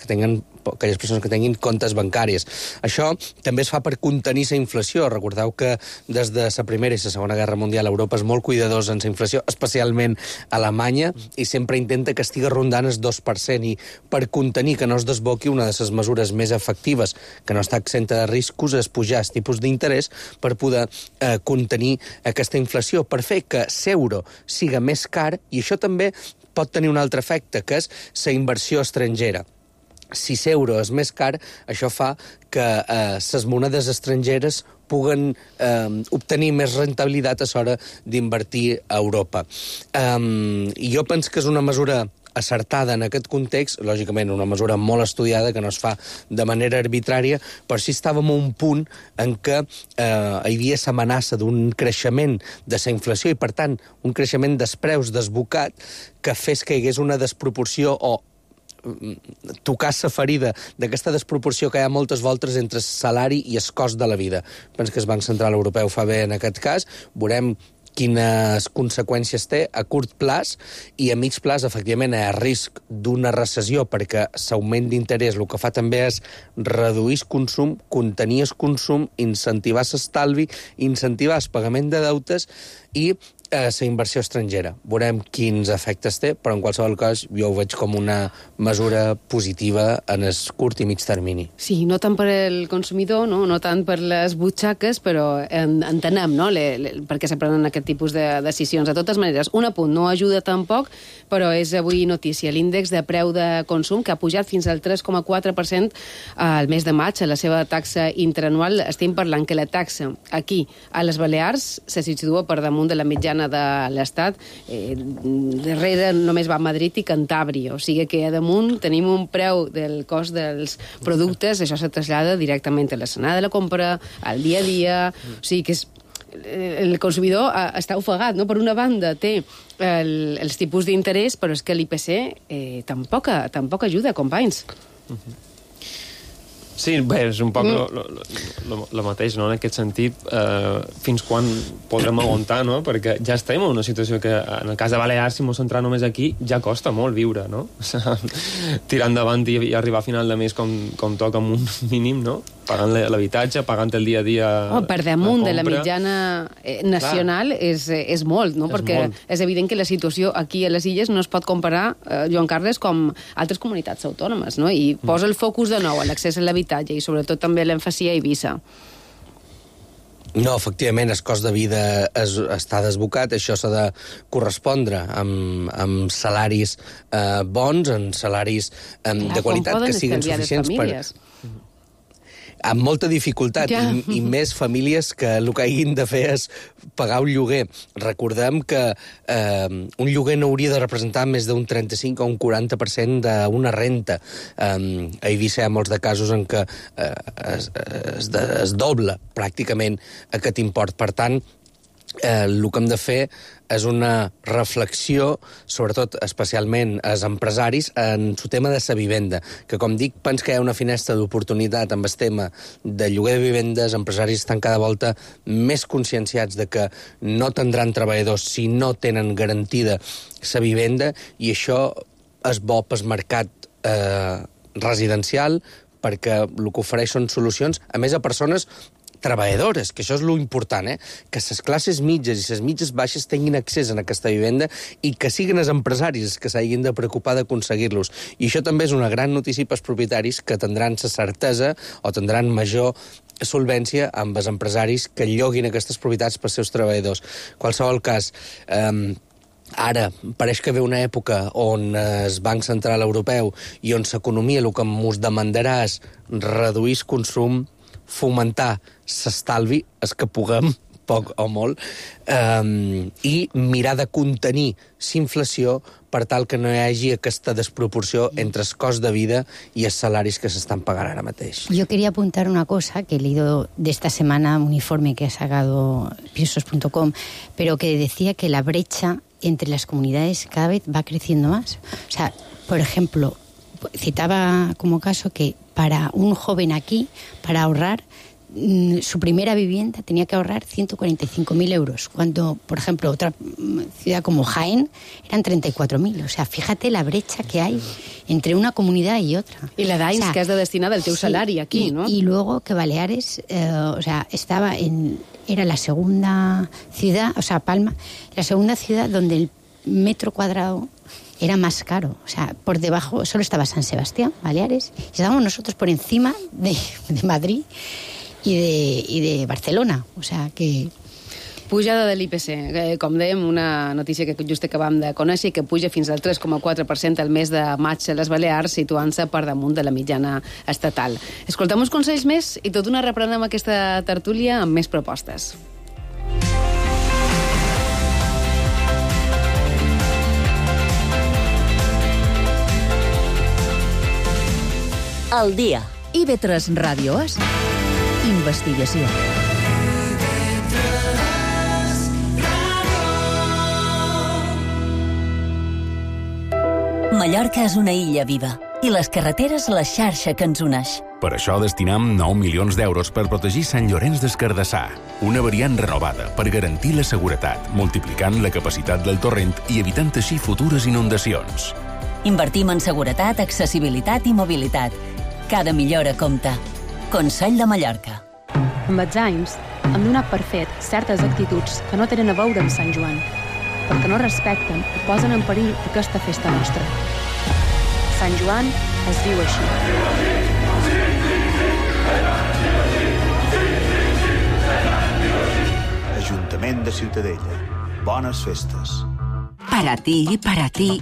persones que tinguin comptes bancaris. Això també es fa per contenir la inflació. Recordeu que des de la Primera i la Segona Guerra Mundial Europa és molt cuidadosa en la inflació, especialment Alemanya, i sempre intenta que estigui rondant el 2%, i per contenir que no es desboqui, una de les mesures més efectives, que no està exenta de riscos, és pujar els tipus d'interès per poder contenir aquesta inflació, per fer que l'euro siga més car, i això també pot tenir un altre efecte, que és la inversió estrangera. Si l'euro és més car, això fa que les monedes estrangeres puguen obtenir més rentabilitat a l'hora d'invertir a Europa. I jo penso que és una mesura acertada en aquest context, lògicament una mesura molt estudiada, que no es fa de manera arbitrària, però sí estàvem a un punt en què hi havia l'amenaça d'un creixement de la inflació i, per tant, un creixement dels preus desbocat que fes que hi hagués una desproporció o tocar la ferida d'aquesta desproporció que hi ha moltes voltes entre el salari i el cost de la vida. Penso que el Banc Central Europeu fa bé en aquest cas, veurem quines conseqüències té a curt plaç, i a mig plaç, efectivament, hi ha risc d'una recessió, perquè l'augment d'interès el que fa també és reduir el consum, contenir el consum, incentivar l'estalvi, incentivar el pagament de deutes i la inversió estrangera. Veurem quins efectes té, però en qualsevol cas jo ho veig com una mesura positiva en el curt i mig termini. Sí, no tant per al consumidor, no tant per les butxaques, però entenem per què se prenen aquest tipus de decisions. De totes maneres, un apunt, no ajuda tampoc, però és avui notícia. L'índex de preu de consum, que ha pujat fins al 3,4% al mes de maig, a la seva taxa interanual. Estem parlant que la taxa aquí, a les Balears, se situa per damunt de la mitjana de l'Estat. Darrere només va Madrid i Cantàbria, o sigui que a damunt tenim un preu del cost dels productes, això se trasllada directament a l'escenari de la compra, al dia a dia, o sigui que el consumidor està ofegat, no? Per una banda té els tipus d'interès, però és que l'IPC tampoc ajuda, companys. Sí, bé, és un poc el mateix, no?, en aquest sentit. Fins quan podrem aguantar, no?, perquè ja estem en una situació que, en el cas de Balears, si ens centrem només aquí, ja costa molt viure, no? Tirar endavant i arribar a final de mes com toca amb un mínim, no?, pagant l'habitatge, pagant el dia a dia... Per damunt de la mitjana nacional és molt, no? Perquè és evident que la situació aquí a les Illes no es pot comparar, Joan Carles, com altres comunitats autònomes, no? I posa el focus de nou a l'accés a l'habitatge i sobretot també l'èmfasi a Eivissa. No, efectivament, el cost de vida està desbocat, això s'ha de correspondre amb salaris bons, amb salaris de qualitat que siguin suficients per... Amb molta dificultat, i més famílies que el que hagin de fer és pagar un lloguer. Recordem que un lloguer no hauria de representar més d'un 35 o un 40% d'una renta. A Eivissa hi ha molts de casos en què es dobla pràcticament aquest import. Per tant, el que hem de fer és una reflexió, sobretot, especialment als empresaris, en el tema de la vivenda, que, com dic, penso que hi ha una finestra d'oportunitat amb el tema de lloguer de vivendes. Empresaris estan cada volta més conscienciats de que no tindran treballadors si no tenen garantida la vivenda, i això és bo pel mercat residencial, perquè el que ofereix són solucions, a més, a persones treballadores, que això és l'important, que les classes mitges i les mitges baixes tinguin accés a aquesta vivenda i que siguin els empresaris que s'hagin de preocupar d'aconseguir-los. I això també és una gran notícia pels propietaris, que tindran la certesa o tindran major solvència amb els empresaris que lloguin aquestes propietats pels seus treballadors. En qualsevol cas, ara pareix que ve una època on el Banc Central Europeu i on l'economia el que ens demandarà és reduir el consum, fomentar l'estalvi, és que puguem poc o molt, i mirar de contenir l'inflació per tal que no hi hagi aquesta desproporció entre el cost de vida i els salaris que s'estan pagant ara mateix. Yo quería apuntar una cosa que he leído de esta semana, un informe que ha sacado pisos.com, pero que decía que la brecha entre las comunidades cada vez va creciendo más. O sea, por ejemplo, citaba como caso que para un joven aquí, para ahorrar, su primera vivienda tenía que ahorrar 145.000 euros, cuando, por ejemplo, otra ciudad como Jaén eran 34.000. O sea, fíjate la brecha que hay entre una comunidad y otra. I la d'anys que has de destinar del teu salari aquí, ¿no? Y luego que Baleares, o sea, era la segunda ciudad, o sea, Palma, la segunda ciudad donde el metro cuadrado era más caro. O sea, por debajo solo estaba San Sebastián, Baleares, y estábamos nosotros por encima de Madrid i de Barcelona, o sea que... Pujada de l'IPC, com dèiem, una notícia que just acabam de conèixer, que puja fins al 3,4% al mes de maig a les Balears, situant-se per damunt de la mitjana estatal. Escoltem uns consells més i tot una reprenem aquesta tertúlia amb més propostes. El dia. IB3 Ràdio és investigació. Mallorca és una illa viva i les carreteres la xarxa que ens uneix. Per això destinam 9 milions d'euros per protegir Sant Llorenç des Cardassar, una variant renovada per garantir la seguretat, multiplicant la capacitat del torrent i evitant així futures inundacions. Invertim en seguretat, accessibilitat i mobilitat. Cada millora compta. Consell de Mallorca. Amb els anys, hem donat per fet certes actituds que no tenen a veure amb Sant Joan, perquè no respecten i posen en perill aquesta festa nostra. Sant Joan es viu així. Ajuntament de Ciutadella. Bones festes. Para ti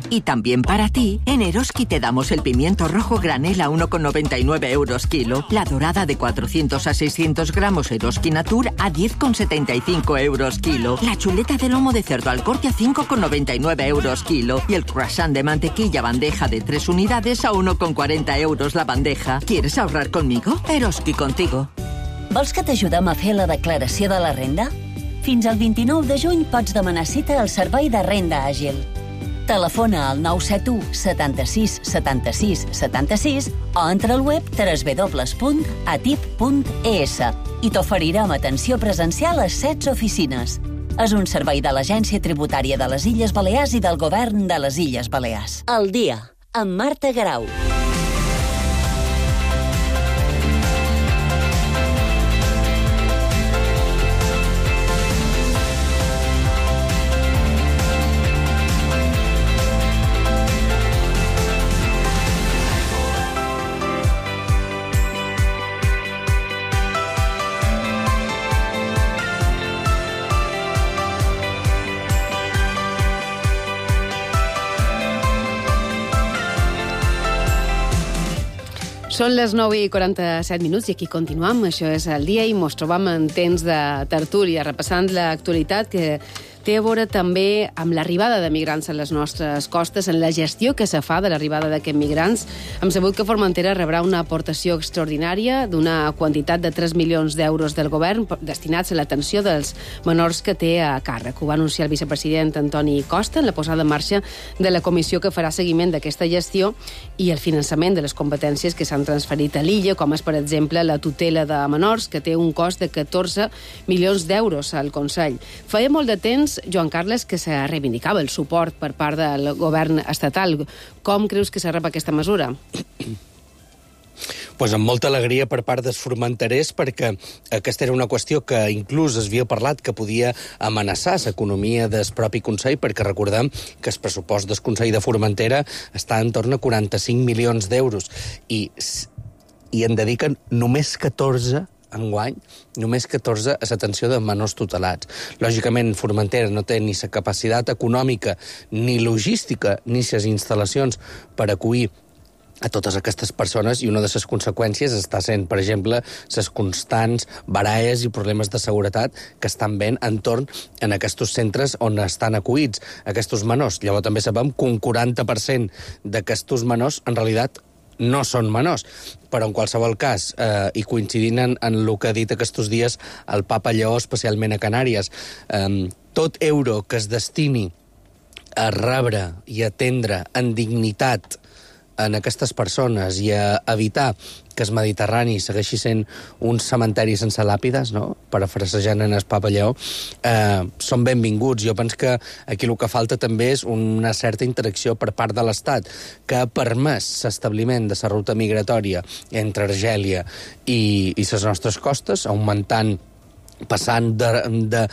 y también para ti, en Eroski te damos el pimiento rojo granel a 1,99 euros kilo, la dorada de 400 a 600 gramos Eroski Natur a 10,75 euros kilo, la chuleta de lomo de cerdo al corte a 5,99 euros kilo y el croissant de mantequilla bandeja de 3 unidades a 1,40 euros la bandeja. ¿Quieres ahorrar conmigo? Eroski contigo. Vols que t'ajudem a fer la declaració de la renda? Fins al 29 de juny pots demanar cita al Servei de Renda Àgil. Telefona al 971 76 76 76 o entra al web www.atip.es i t'oferirem atenció presencial a 16 oficines. És un servei de l'Agència Tributària de les Illes Balears i del Govern de les Illes Balears. El dia, amb Marta Garau. Són les 9:47 i aquí continuam. Això és el dia i mos trobam en temps de tertúlia, repassant l'actualitat que té a veure també amb l'arribada de migrants a les nostres costes, en la gestió que se fa de l'arribada d'aquests migrants. Hem sabut que Formentera rebrà una aportació extraordinària d'una quantitat de 3 milions d'euros del govern destinats a l'atenció dels menors que té a càrrec. Ho va anunciar el vicepresident Antoni Costa en la posada en marxa de la comissió que farà seguiment d'aquesta gestió i el finançament de les competències que s'han transferit a l'illa, com és, per exemple, la tutela de menors, que té un cost de 14 milions d'euros al Consell. Feia molt de temps, Joan Carles, que se reivindicava el suport per part del govern estatal. Com creus que se rep aquesta mesura? Pues amb molta alegria per part dels formenterers, perquè aquesta era una qüestió que inclús es havia parlat que podia amenaçar l'economia del propi Consell, perquè recordem que el pressupost del Consell de Formentera està en torn a 45 milions d'euros i en dediquen només 14 enguany, només 14 a l'atenció de menors tutelats. Lògicament, Formentera no té ni la capacitat econòmica, ni logística, ni les instal·lacions per acollir a totes aquestes persones, i una de les conseqüències està sent, per exemple, les constants baralles i problemes de seguretat que estan veient entorn en aquests centres on estan acollits aquests menors. Llavors també sabem que un 40% d'aquests menors en realitat no són menors, però en qualsevol cas, i coincidint en el que ha dit aquests dies el papa Lleó, especialment a Canàries, tot euro que es destini a rebre i atendre en dignitat en aquestes persones i a evitar que el Mediterrani segueixi sent un cementeri sense làpides, no?, parafrasejant en el papa Lleó, són benvinguts. Jo penso que aquí el que falta també és una certa interacció per part de l'Estat, que ha permès l'establiment de la ruta migratòria entre Argèlia i les nostres costes, augmentant, passant de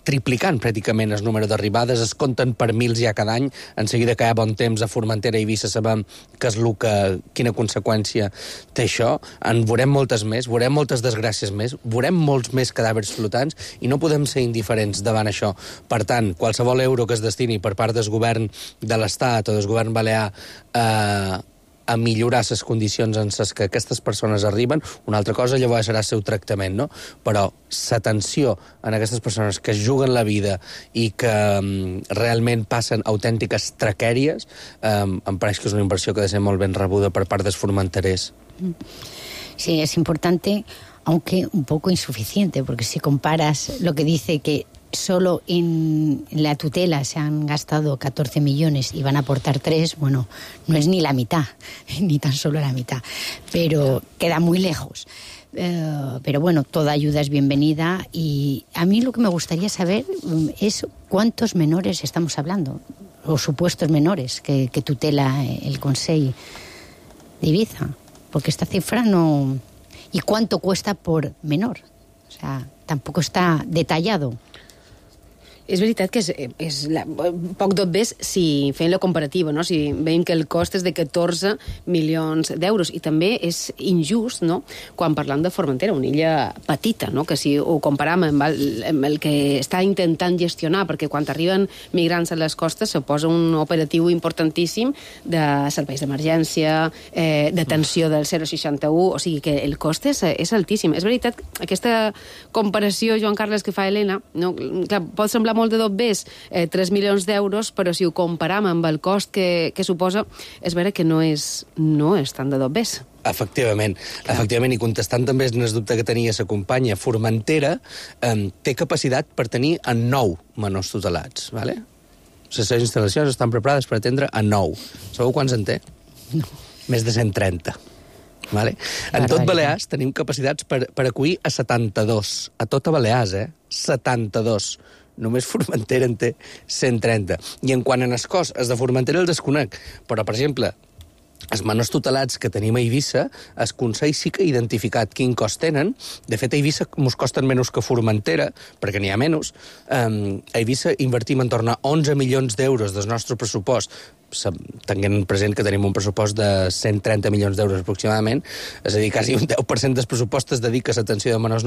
triplicant pràcticament el número d'arribades, es compten per mils ja cada any. En seguida que hi ha bon temps a Formentera i Eivissa sabem que és quina conseqüència té això. En veurem moltes més, veurem moltes desgràcies més, veurem molts més cadàvers flotants i no podem ser indiferents davant això. Per tant, qualsevol euro que es destini per part del govern de l'Estat o del govern balear a millorar les condicions en les que aquestes persones arriben, una altra cosa llavors serà el seu tractament, no? Però l'atenció en aquestes persones que es juguen la vida i que realment passen autèntiques traquèries, em pareix que és una inversió que ha de ser molt ben rebuda per part dels formenterers. Sí, es importante, aunque un poco insuficiente, porque si comparas lo que dice que solo en la tutela se han gastado 14 millones y van a aportar 3, bueno, no es ni la mitad, ni tan solo la mitad, pero queda muy lejos. Pero bueno, toda ayuda es bienvenida y a mí lo que me gustaría saber es cuántos menores estamos hablando, o supuestos menores que tutela el Consell de Ibiza, porque esta cifra no... ¿Y cuánto cuesta por menor? O sea, tampoco está detallado. És veritat que és poc d'obvies si fem la comparativa, no? Si veiem que el cost és de 14 milions d'euros. I també és injust, no?, quan parlam de Formentera, una illa petita, no?, que si ho comparam amb el que està intentant gestionar, perquè quan arriben migrants a les costes se posa un operatiu importantíssim de serveis d'emergència, d'atenció del 061, o sigui que el cost és altíssim. És veritat, aquesta comparació, Joan Carles, que fa Helena, no? Clar, pot semblar molt de dobbers, 3 milions d'euros, però si ho comparam amb el cost que suposa, és vera que no és tant de dobbers. Efectivament, i contestant també el dubte que tenia la companya, Formentera té capacitat per tenir a 9 menors tutelats, ¿vale? Les seves instal·lacions estan preparades per atendre a 9. Sabeu quants en té? No. Més de 130. Vale? En tot Balears tenim capacitats per acollir a 72. A tota Balears, 72. Només Formentera en té 130. I en quant a el cost, els de Formentera el desconec. Però, per exemple, els menors tutelats que tenim a Eivissa, el Consell sí que ha identificat quin cost tenen. De fet, a Eivissa ens costen menys que Formentera, perquè n'hi ha menys. A Eivissa invertim en torn a 11 milions d'euros del nostre pressupost, tenint present que tenim un pressupost de 130 milions d'euros aproximadament, és a dir, quasi un 10% del pressupost es dedica a l'atenció de menors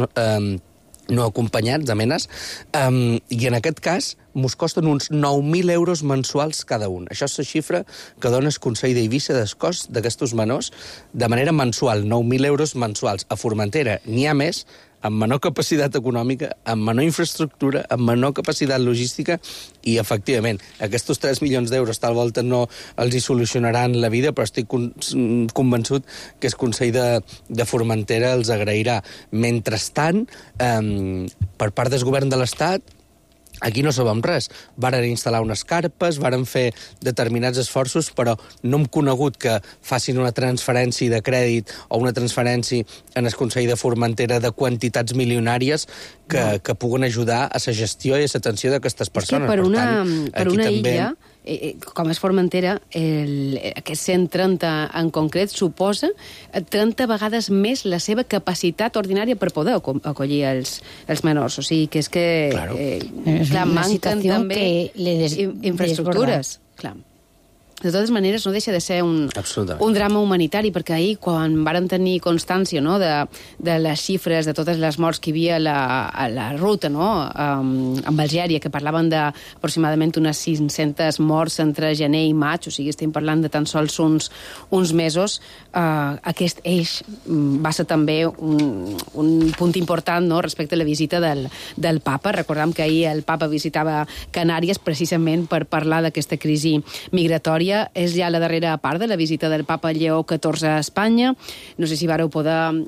no acompanyats, a menes, i en aquest cas mos costen uns 9.000 euros mensuals cada un. Això és la xifra que dona el Consell d'Eivissa del cost d'aquests menors de manera mensual, 9.000 euros mensuals. A Formentera n'hi ha més, amb menor capacitat econòmica, amb menor infraestructura, amb menor capacitat logística, i, efectivament, aquests 3 milions d'euros tal volta no els hi solucionaran la vida, però estic convençut que el Consell de Formentera els agrairà. Mentrestant, per part del govern de l'Estat, aquí no sabem res. Varen instal·lar unes carpes, varen fer determinats esforços, però no hem conegut que facin una transferència de crèdit o una transferència en el Consell de Formentera de quantitats milionàries que puguen ajudar a la gestió i a l'atenció d'aquestes persones. És que per una illa, com és Formentera, aquest 130 en concret suposa 30 vegades més la seva capacitat ordinària per poder acollir els menors. O sigui, que és que manquen també infraestructures. Clar. De totes maneres, no deixa de ser un drama humanitari, perquè ahir, quan vàrem tenir constància, no, de les xifres, de totes les morts que hi havia a la ruta, no, amb Algèria, que parlaven d'aproximadament unes 500 morts entre gener i maig, o sigui, estem parlant de tan sols uns mesos, aquest eix va ser també un punt important, no, respecte a la visita del papa. Recordem que ahir el papa visitava Canàries precisament per parlar d'aquesta crisi migratòria. És ja la darrera part de la visita del papa Lleó XIV a Espanya. No sé si vareu poder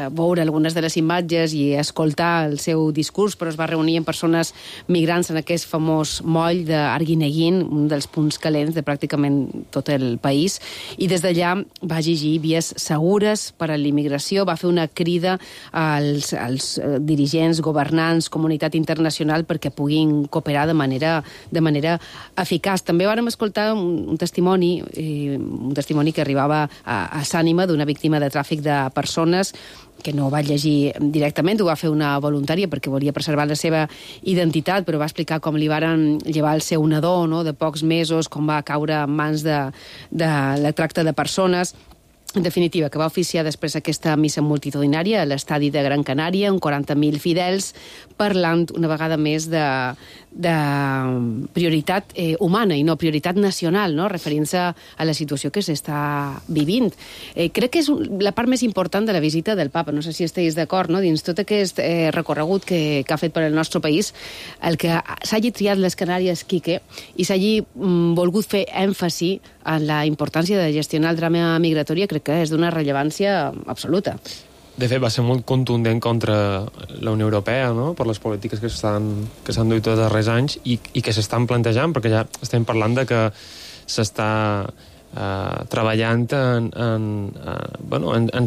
veure algunes de les imatges i escoltar el seu discurs, però es va reunir amb persones migrants en aquest famós moll d'Arguineguín, un dels punts calents de pràcticament tot el país, i des d'allà va exigir vies segures per a l'immigració, va fer una crida als dirigents, governants, comunitat internacional perquè puguin cooperar de manera eficaç. També vàrem escoltar un testimoni que arribava a Sànima d'una víctima de tràfic de persones, que no va llegir directament, ho va fer una voluntària perquè volia preservar la seva identitat, però va explicar com li varen llevar el seu nadó, no?, de pocs mesos, com va caure en mans de la tracta de persones. En definitiva, que va oficiar després aquesta missa multitudinària a l'estadi de Gran Canària, amb 40.000 fidels, parlant una vegada més de prioritat humana i no prioritat nacional, no?, referint-se a la situació que s'està vivint. Crec que és la part més important de la visita del papa, no sé si esteu d'acord, no?, dins tot aquest recorregut que ha fet per al nostre país, el que s'hagi triat les Canàries, Quique, i s'hagi volgut fer èmfasi en la importància de gestionar el drama migratori, crec que és d'una rellevància absoluta. De fet, va ser molt contundent contra la Unió Europea, no?, per les polítiques que s'han duit els darrers anys i que s'estan plantejant, perquè ja estem parlant de que s'està treballant en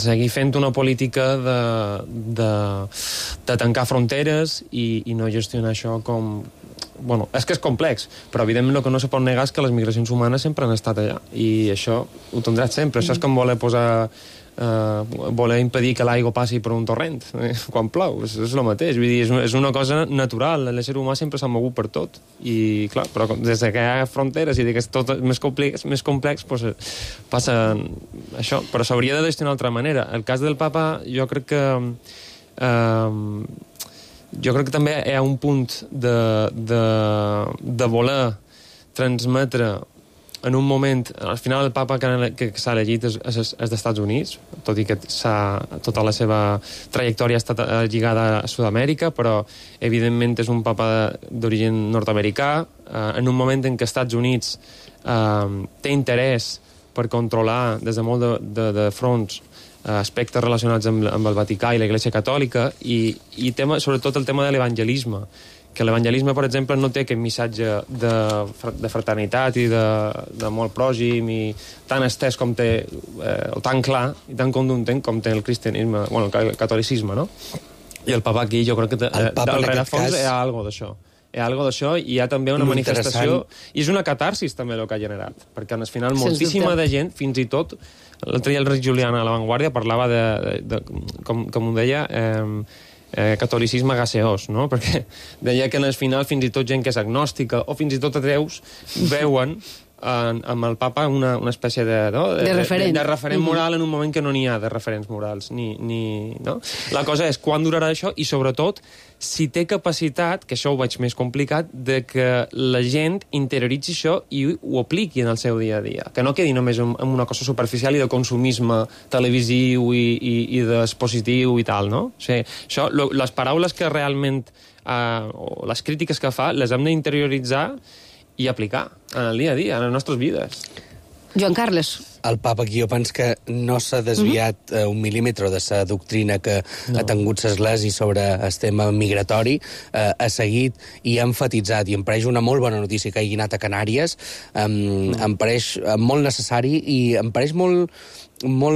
seguir fent una política de tancar fronteres i no gestionar això com... Bueno, és que és complex, però evidentment el que no se pot negar és que les migracions humanes sempre han estat allà, i això ho tindrà sempre. Això és com voler impedir que l'aigua passi per un torrent quan plou, és el mateix. Vull dir, és una cosa natural, l'ésser humà sempre s'ha mogut per tot, i clar, però des que hi ha fronteres i que és tot més complex, doncs passa això, però s'hauria de gestionar d'altra manera. El cas del papa, jo crec que també hi ha un punt de voler transmetre en un moment... Al final el papa que s'ha elegit és dels Estats Units, tot i que tota la seva trajectòria ha estat lligada a Sud-amèrica, però evidentment és un papa d'origen nord-americà, en un moment en què Estats Units té interès per controlar des de molt de fronts aspectes relacionats amb el Vaticà i la Iglesia Catòlica i sobretot el tema de l'evangelisme, que l'evangelisme, per exemple, no té aquest missatge de fraternitat i de molt pròxim i tan estès com té, o tan clar i tan contundent com té el cristianisme, bueno, el catolicisme, no? I el papa aquí, jo crec que del rerefons hi ha alguna d'això. Hi ha alguna d'això i hi ha també una manifestació, i és una catarsis també el que ha generat, perquè al final moltíssima de gent, fins i tot l'altre dia el Rick Juliana a La Vanguardia parlava com ho deia, catolicisme gaseós, no? Perquè deia que al final fins i tot gent que és agnòstica o fins i tot ateus veuen amb el papa una espècie de referent moral en un moment que no n'hi ha de referents morals. No? La cosa és quan durarà això i, sobretot, si té capacitat, que això ho veig més complicat, de que la gent interioritzi això i ho apliqui en el seu dia a dia. Que no quedi només en una cosa superficial i de consumisme televisiu i d'expositiu i tal, no? O sigui, això, les paraules que realment, o les crítiques que fa, les hem d'interioritzar i aplicar en el dia a dia, en les nostres vides. Joan Carles. El papa aquí jo penso que no s'ha desviat un mil·límetre de la doctrina que ha tingut l'Església sobre el tema migratori, ha seguit i ha enfatitzat, i em pareix una molt bona notícia que hagi anat a Canàries, em pareix molt necessari i em pareix molt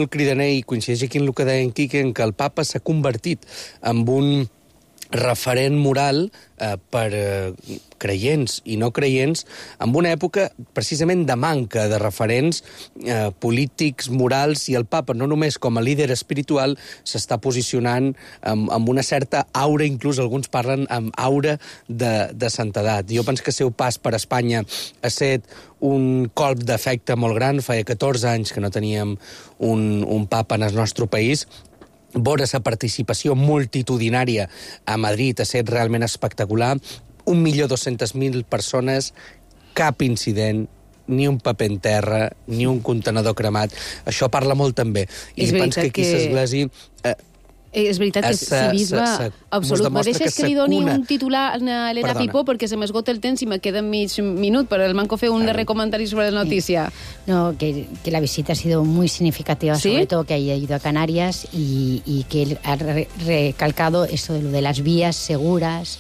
cridaner, i coincideix aquí en el que deia en Quique, en què el papa s'ha convertit en referent moral per creients i no creients en una època precisament de manca de referents polítics, morals, i el papa no només com a líder espiritual s'està posicionant amb una certa aura, inclús alguns parlen amb aura de santedat. Jo penso que el seu pas per Espanya ha estat un colp d'efecte molt gran. Feia 14 anys que no teníem un papa en el nostre país. Veure la participació multitudinària a Madrid ha estat realment espectacular. 1.200.000 persones, cap incident, ni un paper en terra, ni un contenedor cremat. Això parla molt també. I penso que aquí l'església... És veritat que si bisbe absolut. Me deixes que li doni un titular a Elena Pipó perquè se m'esgota el temps i me queda mig minut, però el manco fer un darrer comentari sobre la notícia. No, que la visita ha sido muy significativa, ¿sí? Sobre todo que haya ido a Canarias y que él ha recalcado eso de lo de las vías seguras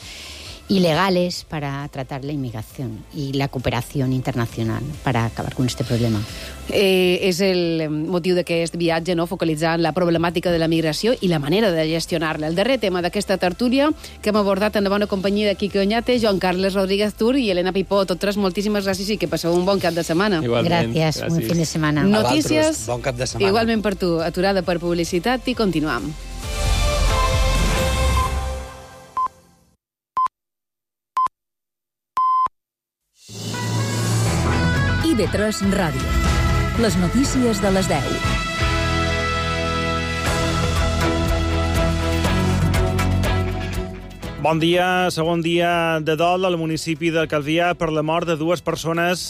y legales para tratar la inmigración y la cooperación internacional para acabar con este problema. És el motiu d'aquest viatge, no? Focalitzant la problemàtica de la migració i la manera de gestionar-la. El darrer tema d'aquesta tertúlia que hem abordat en la bona companyia de Quique Oñate, Joan Carles Rodríguez Tur i Elena Pipó. Totes moltíssimes gràcies i que passeu un bon cap de setmana. Igualment. Gràcies, un fin de setmana. Notícies, bon cap de setmana. Igualment per tu, aturada per publicitat i continuam. IB3 Ràdio. Les notícies de les 10. Bon dia, segon dia de dol al municipi de Calvià per la mort de dues persones